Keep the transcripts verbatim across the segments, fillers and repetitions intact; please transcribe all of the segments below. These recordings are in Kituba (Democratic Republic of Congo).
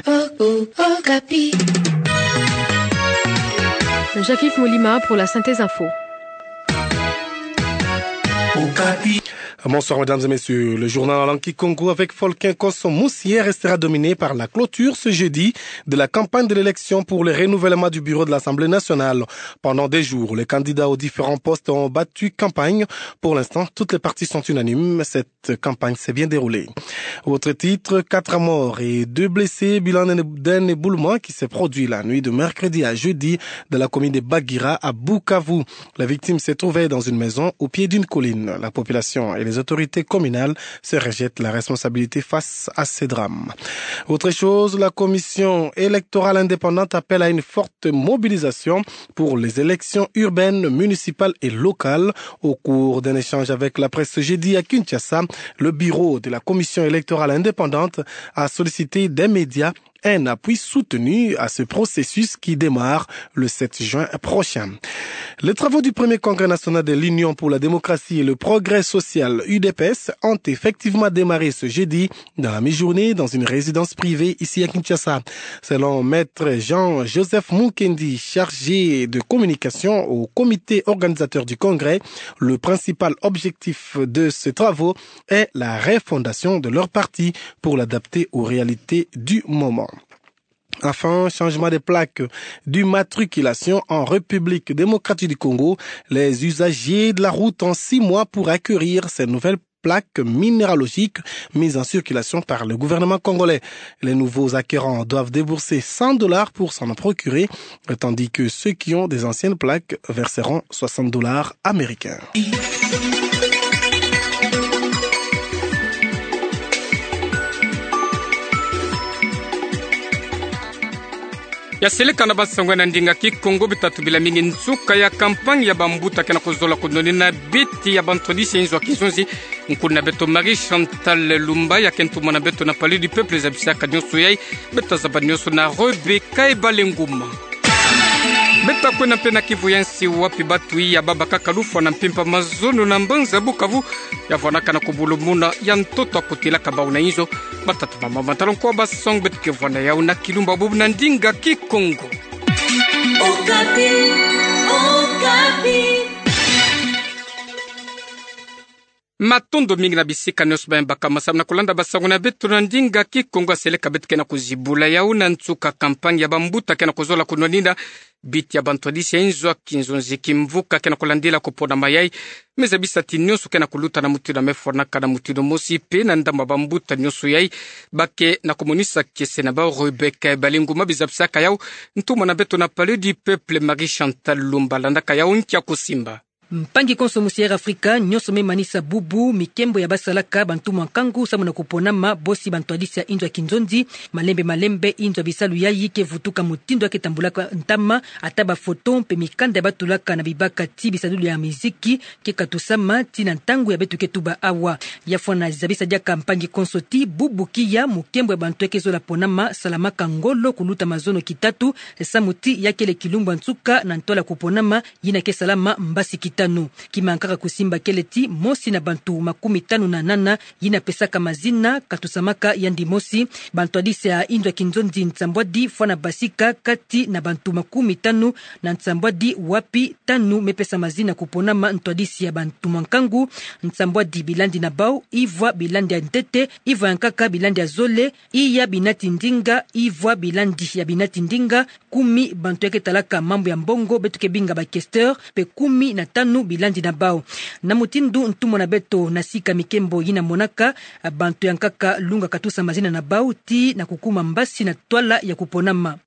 Okapi. Jacques-Yves Molima pour la synthèse info. Bonsoir, mesdames et messieurs. Le journal en langue kikongo avec Folkin Konso Moussier restera dominé par la clôture ce jeudi de la campagne de l'élection pour le renouvellement du bureau de l'Assemblée nationale. Pendant des jours, les candidats aux différents postes ont battu campagne. Pour l'instant, toutes les parties sont unanimes. Cette campagne s'est bien déroulée. Autre titre, quatre morts et deux blessés, bilan d'un, d'un éboulement qui s'est produit la nuit de mercredi à jeudi dans la commune de Bagira à Bukavu. La victime s'est trouvée dans une maison au pied d'une colline. La population et les autorités communales se rejettent la responsabilité face à ces drames. Autre chose, la commission électorale indépendante appelle à une forte mobilisation pour les élections urbaines, municipales et locales. Au cours d'un échange avec la presse ce jeudi à Kinshasa, le bureau de la commission électorale indépendante a sollicité des médias un appui soutenu à ce processus qui démarre le sept juin prochain. Les travaux du premier congrès national de l'Union pour la démocratie et le progrès social, U D P S, ont effectivement démarré ce jeudi dans la mi-journée dans une résidence privée ici à Kinshasa. Selon Maître Jean-Joseph Mukendi, chargé de communication au comité organisateur du congrès, le principal objectif de ces travaux est la refondation de leur parti pour l'adapter aux réalités du moment. Enfin, changement de plaque d'immatriculation en République démocratique du Congo. Les usagers de la route ont six mois pour acquérir ces nouvelles plaques minéralogiques mises en circulation par le gouvernement congolais. Les nouveaux acquérants doivent débourser cent dollars pour s'en procurer, tandis que ceux qui ont des anciennes plaques verseront soixante dollars américains. Ya seleka na basango na ndinga Kikongo. Bita tubila mingi nsuka ya campagne ya bambuta ke na kuzola kunwanina biti ya bantwadisi ya inzo ya kinzonzi. Nkuna beto Marie Chantal Lumba, ya ke ntumwa na beto na Palais du Peuple, zabisaka nionso yai. Beta zaba nionso na Rebecca Ebalenguma. Beta kwenda mpe na kivu ya nsi wapi batu iya babakaka lufwa na mpimpa mazono na mbanza Bukavu, ya vwanaka na kubulumuna ya ntoto ya kutilaka bau na inzo. Batata, bamama, batalon, kwa basango beto ke vwanda yau na kilumbu bubu na ndinga Kikongo. Okapi, Okapi. Matondo mingi na bisika nionso baye mbakama samu na kulanda basango na beto na ndinga Kikongo. Ya seleka beto ke na kuzibula yau na nsuka campagne ya bambuta ke na kuzola kunwanina biti ya bantwadisi ya inzo ya kinzonzi. Kimvuka ke na kulandila kuponama yai, me zabisa ti nionso ke na kuluta na mutindu ya me fwanaka na mutindu mosi, mpe na ndambu ya bambuta nionso yai ba ke na kumonisa kiese na bau. Rebecca Ebalenguma, bizabisaka yau ntumwa na beto na Palais du Peuple, Marie Chantal Lumba, landaka yau nkia kusimba. Mpangi konso musi Air Africa, nionso me manisa bubu mikembo ya basalaka bantumwa nkangu samu na kuponama bosi bantwadisi ya inzo ya kinzonzi. Malembe malembe, inzo ya bisalu yayi ke vutuka mutindu ya ke tambulaka ntama, ata bafoto mpe mikanda ya batulaka na bibaka ti bisadulu ya miziki ke katusama ti na ntangu ya beto ke tuba awa. Ya fwana zabisa diaka mpangi konso ti bubu kiya mukembo ya bantu ya ke zola ponama salamaka ngolo kuluta mazono kitatu, samu ti ya kele kilumbu ya nsuka na ntwala kuponama yina ke salama mbasi kitanu. Kima nkaka kusimba kele ti mosi na bantu makumi tanu na nana yina pesaka mazina katusamaka yandi mosi. Bantwadisi ya inzo ya kinzonzi nsambwadi fwana basika kati na bantu makumi tanu na nsambwadi, wapi tanu me pesa mazina kuponama ntwadisi ya bantumwa nkangu. Nsambwadi bilandi na bau: ivwa bilandi ya ntete, ivwa ya nkaka bilandi ya zole, iya binati ndinga, ivwa bilandi ya binati ndinga, kumi bantu ya ke talaka mambu ya mbongo, beto ke binga ba questeur, mpe kumi na tanu bilandi na bau. Na mutindu ntumwa na beto na sika mikembo yina monaka, bantu ya nkaka lunga katusa mazina na bau ti na kukuma mbasi na ntwala ya kuponama.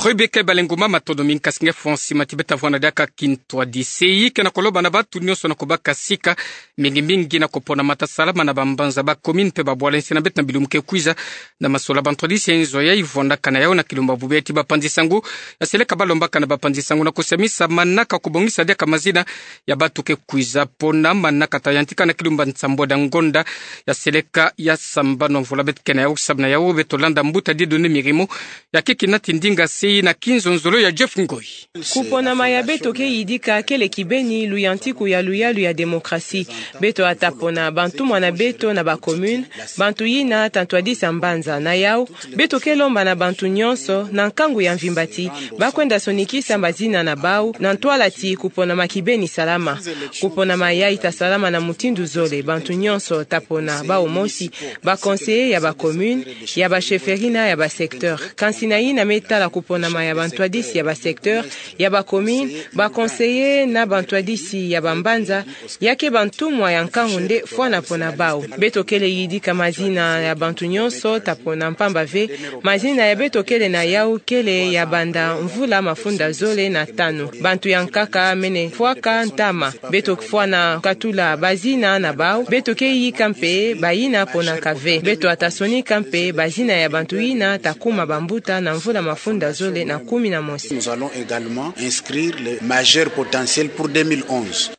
Rebecca Ebalenguma, matondo mingi. Kasi nge fwa nsima ti beta vwanda diaka kintwadisi ke na kuloba na batu nionso na kubaka sika, mingi mingi na kuponama ta salama na bambanza, ba commune mpe babwala nsi na beto na bilumbu ke kwiza. Na masola bantwadisi ya inzo yayi vwandaka na yau na kilumbu bubu ya ti bapanzi sango, ya seleka balombaka na bapanzi sango na kusamisa manaka kubongisa diaka mazina ya batu ke kwiza pona manaka ta yantika na kilumbu nsambwadi ya ngonda. Ya seleka ya sambanu mvula beto ke na yau, samu na yau beto landa mbuta Dieudonné Mirimo, ya ke kinati ndinga si Na kinzonzolo ya Jeff Ngoyi. Kuponama ya beto ke yidika kele kibeni luyantiku ya luyalu ya démocratie. Beto ata pona bantumwa na beto na ba commune, bantu yina ta ntwadisi ya mbanza. Na yau, beto ke lomba na bantu nyonso, na nkangu ya mvimba ti, ba kwenda sonikisa mazina na bau, na ntwala ti kuponama kibeni salama. Kuponama yayi ta salama na mutindu zole, bantu nyonso ta pona bau mosi, ba conseillers ya ba commune, ya ba chefferie na ya ba secteur. Kansi na yina me tala kuponama ya bantwadisi ya ba secteur, ya ba commune, ba conseillers na bantwadisi ya ba mbanza, ya ke bantumwa ya nkangu nde fwana pona bau. Beto kele yidika mazina ya bantu nyonso ta pona mpamba ve, mazina ya beto kele na yau kele ya banda mvula mafunda zole na tanu. Bantu ya nkaka mene fwaka ntama. Beto fwana katula bazina na bau, beto ke yika mpe bayina ponaka ve. Beto ata sonika mpe bazina ya bantu yina ta kuma bambuta na mvula mafunda zole na kumi na mosi. Nous allons également inscrire les majeurs potentiels pour deux mille onze.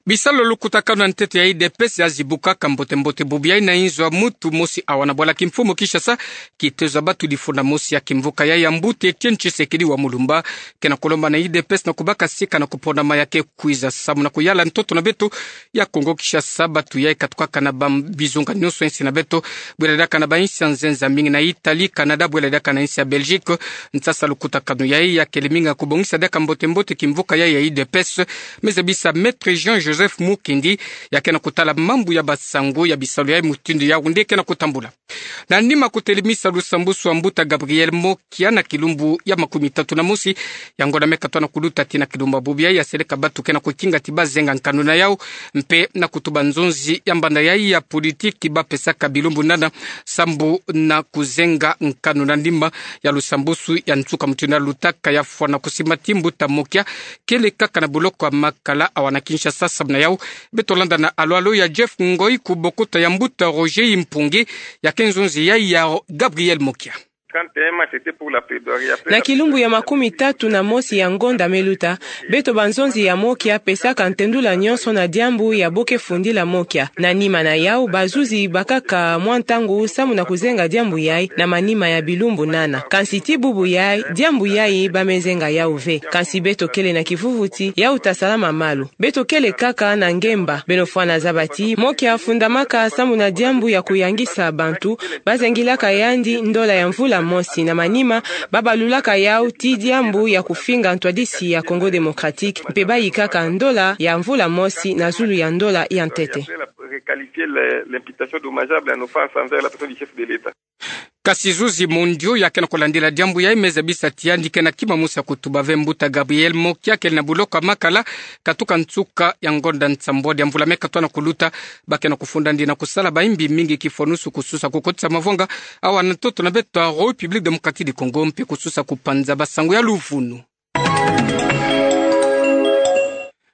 Bisalu lukutakanu ya ntete ya U D P S ya zibuka ka mbote-mbote bubu yayi na inzo ya mutu mosi awa na bwala kimfumu Kinshasa, kitezo ya batu difunda mosi ya kimvuka yayi ya mbuta Etienne Tshisekedi wa Mulumba, ke na kulomba na U D P S na kubaka sika na kuponama ya ke kwiza samu na kuyala ntoto na beto ya Kongo Kinshasa. Batu yayi katukaka na bam-, bizunga nyonso ya insi na beto, bwela diaka na ba insi ya nzenza mingi na Italie, Canada, bwela diaka na insi ya Belgique. Nsasa lukutakanu yayi ya kele mingi ya kubongisa diaka mbote-mbote kimvuka yayi ya U D P S, me zabisa Maître Jean-Joseph Mukendi, ya ke na kutala mambu ya basangu ya bisalu yayi mutindu yawu nde ke na kutambula. Na nima kutelemisa lusambusu ya mbuta Gabriel Mokia na kilumbu ya makumi tatu na mosi ya ngonda me katwa na kuluta tii na kilumbu ya bubu yayi, ya seleka batu ke na kukinga ti bazenga nkanu na yau, mpe na kutuba nzonzi ya mbanda yayi ya politiki ba pesaka bilumbu nana sambu na kuzenga nkanu na nima ya lusambusu ya nsuka mutindu ya lutaka ya fwana kusimba ti mbuta Mokia kele kaka na buloko ya Makala awa na Kinshasa. Samu na yau, beto landa na alolo ya Jeff Ngoyi ku bokota ya mbuta Roger Mpungi, ya ke nzonzi yayi ya Gabriel Mokia. Quand M H était pour la plaidoirie, après... Na kilumbu ya makumi tatu na mosi ya ngonda me luta, beto banzonzi ya Mokia pesaka ntendula nyonso na diambu ya bo ke fundila Mokia. Na nima na yau, bazuzi bakaka mwa ntangu samu na kuzenga diambu yayi na manima ya bilumbu nana. Kansi tii bubu yayi, diambu yayi ba me zenga yau ve. Kansi beto kele na kivuvu ti yau ta salama malu. Beto kele kaka na ngemba. Beno fwana zaba ti Mokia afundamaka samu na diambu ya kuyangisa bantu, bazengilaka yandi ndola ya mvula mosi, na manima ba balulaka yau tii diambu ya kufinga ntwadisi ya Congo Démocratique, mpe bayikaka ndola ya mvula mosi na zulu ya ndola ya ntete. Requalifier les, l'imputation dommageable en offense envers la personne du chef de l'État. Kasi zuzi Mondio, ya ke na kulandila diambu yayi, me zabisa ti yandi ke na kima mosi ya kutuba ve mbuta Gabriel Mokia kele na buloko ya Makala, katuka nsuka ya ngonda nsambwadi ya mvula me katwa na kuluta. Ba ke na kufunda ndi na kusala bayimbi mingi kifonusu, kususa kukotisa mavwanga awa na ntoto na beto ya République Démocratique du Congo, mpe kususa kupanza basangu ya luvunu.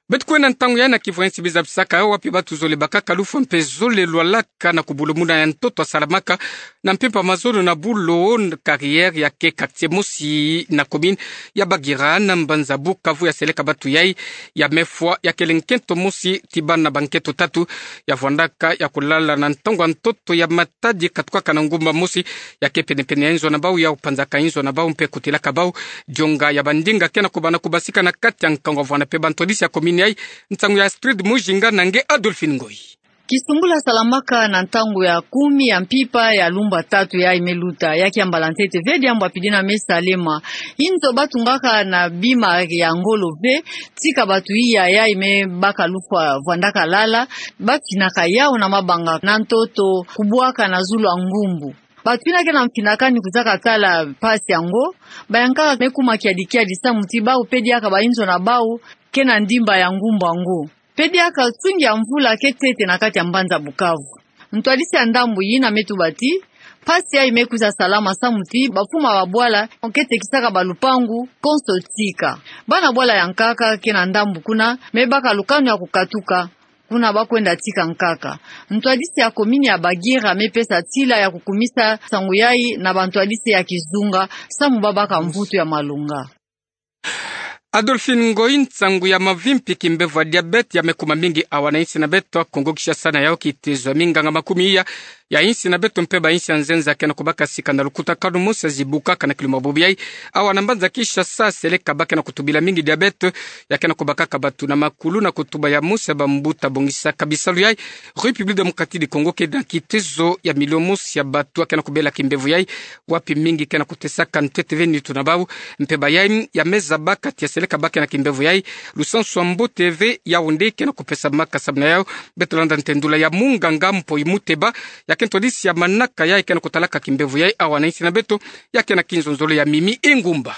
Beto kwenda ntangu yayi na kivwensi biza bisaka yo wapi batu zole bakaka lufwa mpe zole lwalaka na kubulumuna ya ntoto asalamaka na mpimpa mazono na Bulo, carrière ya ke quartier mosi na commune ya Bagira na mbanza Bukavu, ya seleka batu yayi ya mefwa, ya kele nkento mosi ti bana ba nkento tatu ya vwandaka ya kulala na ntangu ya ntoto ya ma- tadi katukaka na ngumba mosi ya ke pene-pene ya inzo na bau, ya kupanzaka inzo na bau mpe kutilaka bau dionga ya bandinga ke na kubana kubasika na kati ya nkangu. Avwanda mpe bantwadisi ya commune yayi, nsangu ya Astrid Mujinga na nge Adolphine Ngoyi. Kisumbula salamaka na ntangu ya kumi ya mpimpa ya lumbu tatu yayi me luta, ya kiambala ntete ve diambu ya pidina me salema. Inzo batungaka na bima ya ngolo ve, tika batu iya yayi me baka lufwa vwandaka lala, bafinaka yau na mabanga na ntoto, kubwaka na zulu ya ngumbu. Batu yina ke na mfinakani kuzaka tala mpasi yango, bayankaka me kuma kiadi-kiadi samu ti bau mpe diaka ba inzo na bau ke na ndimba ya ngumbu yango. Mpe diaka nsungi ya mvula ke ntete na kati ya mbanza Bukavu. Ntwadisi ya ndambu yina me tuba ti mpasi yayi me kwiza salama samu ti bafuma ba bwala ke tekisaka balupangu konso tika. Bana bwala ya nkaka ke na ndambu kuna me baka lukanu ya kukatuka, kuna ba kwenda tika nkaka. Ntwadisi ya commune ya Bagira me pesa ntila ya kukumisa nsangu yayi na bantwadisi ya kizunga samu ba baka mvutu ya malonga. Adolphine Ngoyi, nsangu ya mavimpi kimbevo ya diabète ya me kuma mingi awa na insi na beto Kongo Kinshasa, na yau kitezo ya minganga makumi iya ya insi na beto mpe ba insi ya nzenza ke na kubaka sika na lukutakanu mosi ya zibukaka na kiluma bobo yai. Awa na mbanza Kinshasa, seleka ba ke na kutubila mingi diabète, ya ke na kubakaka bato na makulu na kutuba ya mosi ya bambuta bongisaka bisalu yai. République Démocratique du Congo ke na kitezo ya milio mosi ya bato ya ke na kubela kimbevo yai, wapi mingi ke na kutesaka ntete ve nitu na bau. Mpe ba yai ya meza ba kati ya seleka ba ke na kimbevo yai, lusansu ya mbote ve, yau nde ke na kupesa maka. Samu na yau, beto landa ntendula ya munganga Mpoi Muteba, ya ke ntwadisi ya manaka yai ke na kutalaka kimbevo yai awa na insi na beto, ya ke na kinzonzolo ya Mimi Engumba.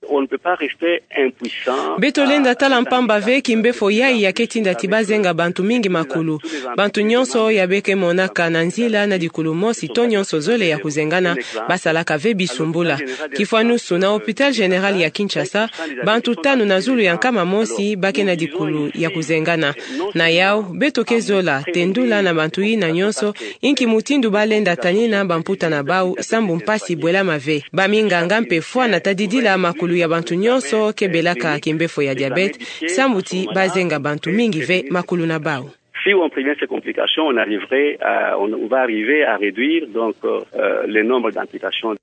On ne peut pas rester impuissant. Beto lenda tala mpamba ve kimbefo yai ya ke tinda ti ba zenga bantu mingi makulu. Bantu nyonso ya be ke monaka na nzila na dikulu mosi to nyonso zole ya kuzengana, ba salaka ve bisumbula. Kifwanusu, na Hôpital Général ya Kinshasa, bantu tanu na zulu ya nkama mosi ba ke na dikulu ya kuzengana. Na yau, beto ke zola tendula na bantu yina nyonso inki mutindu ba lenda tanina bamputa na bau, sambu mpasi bwelama ve. Ba minganga mpe fwana tadidila makulu ya bantu nyonso ke belaka kimbefo ya diabète, sambu ti ba zenga bantu mingi ve makulu na bau. Si on prévient ces complications, on arriverait à, on, on va arriver à réduire donc euh, le nombre d'amputations.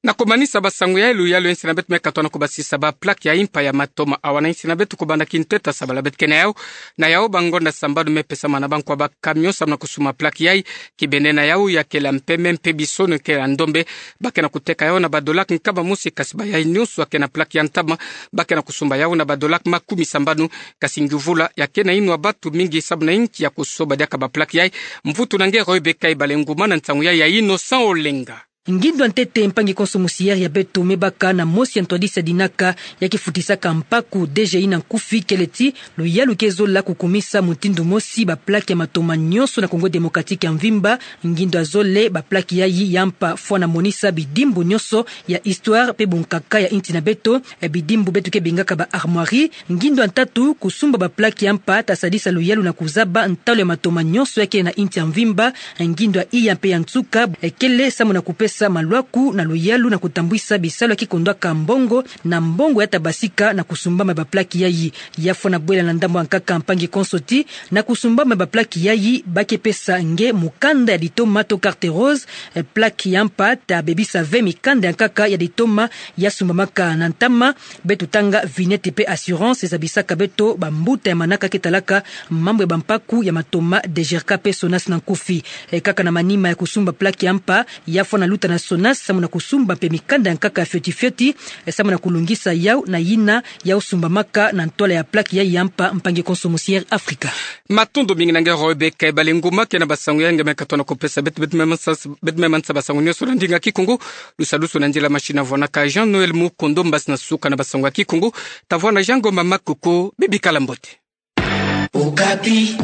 Na kumanisa basango yai, luyalu ya insi na beto me katona kubasisa ba plaque ya impa ya matoma awa na insi na beto kubanda kinteta sabala beto ke na yau. Na yau, bangonda sambanu me pesama na bankwa ba camion samu na kusumba plaque yai. Kibende na yau, ya kela mpeme mpe bisono kela ndombe, ba ke na kuteka yau na ba dolak nkama mosi, kasi ba yai nyonso ya ke na plaque ya ntama, ba ke na kusumba yau na ba dolak makumi sambanu. Kasi nguvula ya ke na inwa batu mingi samu na inki ya kusoba diaka ba plaque yai. Mvutu na nge Rebecca Ibalenguma na nsangu yai ya Innocent Olenga. Ngindu ya ntete, mpangi konso mosiere, ya beto me baka na mosi ya ntwadisi ya dinaka ya ke futisaka mpaku, D G I na nkufi, kele ti luyalu ke zola kukumisa mutindu mosi ba plaque ya matoma nyonso na Congo Démocratique ya mvimba. Ngindu ya zole, ba plaque yai ya mpa fwana monisa bidimbu nyonso ya histoire mpe bunkaka ya insi na beto, eh, bidimbu beto ke bengaka ba armoiries. Ngindu ya ntatu, kusumba ba plaque ya mpa ta sadisa luyalu na kuzaba ntalu ya matoma nyonso ya ke na insi ya mvimba. Ngindu ya iya mpe ya nsuka, eh, kele samu na kupesa malwaku na luyalu na kutambwisa bisalu ya ke kondwaka mbongo na mbongo ya ta basika na kusumbama ba plaque yai. Ya fwana bwela na ndambu ya nkaka, mpangi konso, ti na kusumbama ba plaque yai, ba ke pesa nge mukanda ya ditoma to carte rose. Eh, plaque ya mpa ta bebisa ve mikanda ya nkaka ya ditoma ya sumbamaka na ntama. Beto tanga vignette mpe assurance, zabisaka beto bambuta ya manaka ke talaka mambu ya bampaku ya matoma, DGRK mpe SONAS na nkufi. Eh, kaka na manima ya kusumba plaque ya mpa, ya fwana luta na SONAS samu na kusumba mpe mikanda ya nkaka ya fioti fioti, eh, samu na kulungisa yau na yina yau sumbamaka na ntwala ya plaque yai ya mpa, mpangi konso mosiere Afrika. Matondo mingi na nge Rebecca Ibalenguma ke na basango yai nge me katona kupesa beto. Beto me mansa, beto me mansa basango nyonso na ndinga Kikongo. Lusadusu na nzila machine avwanaka Jean Noël Mukondo, mbasi na suka na basango ya Kikongo, ta vwana Jean Ngoma Makoko. Bibikala mbote. Okapi.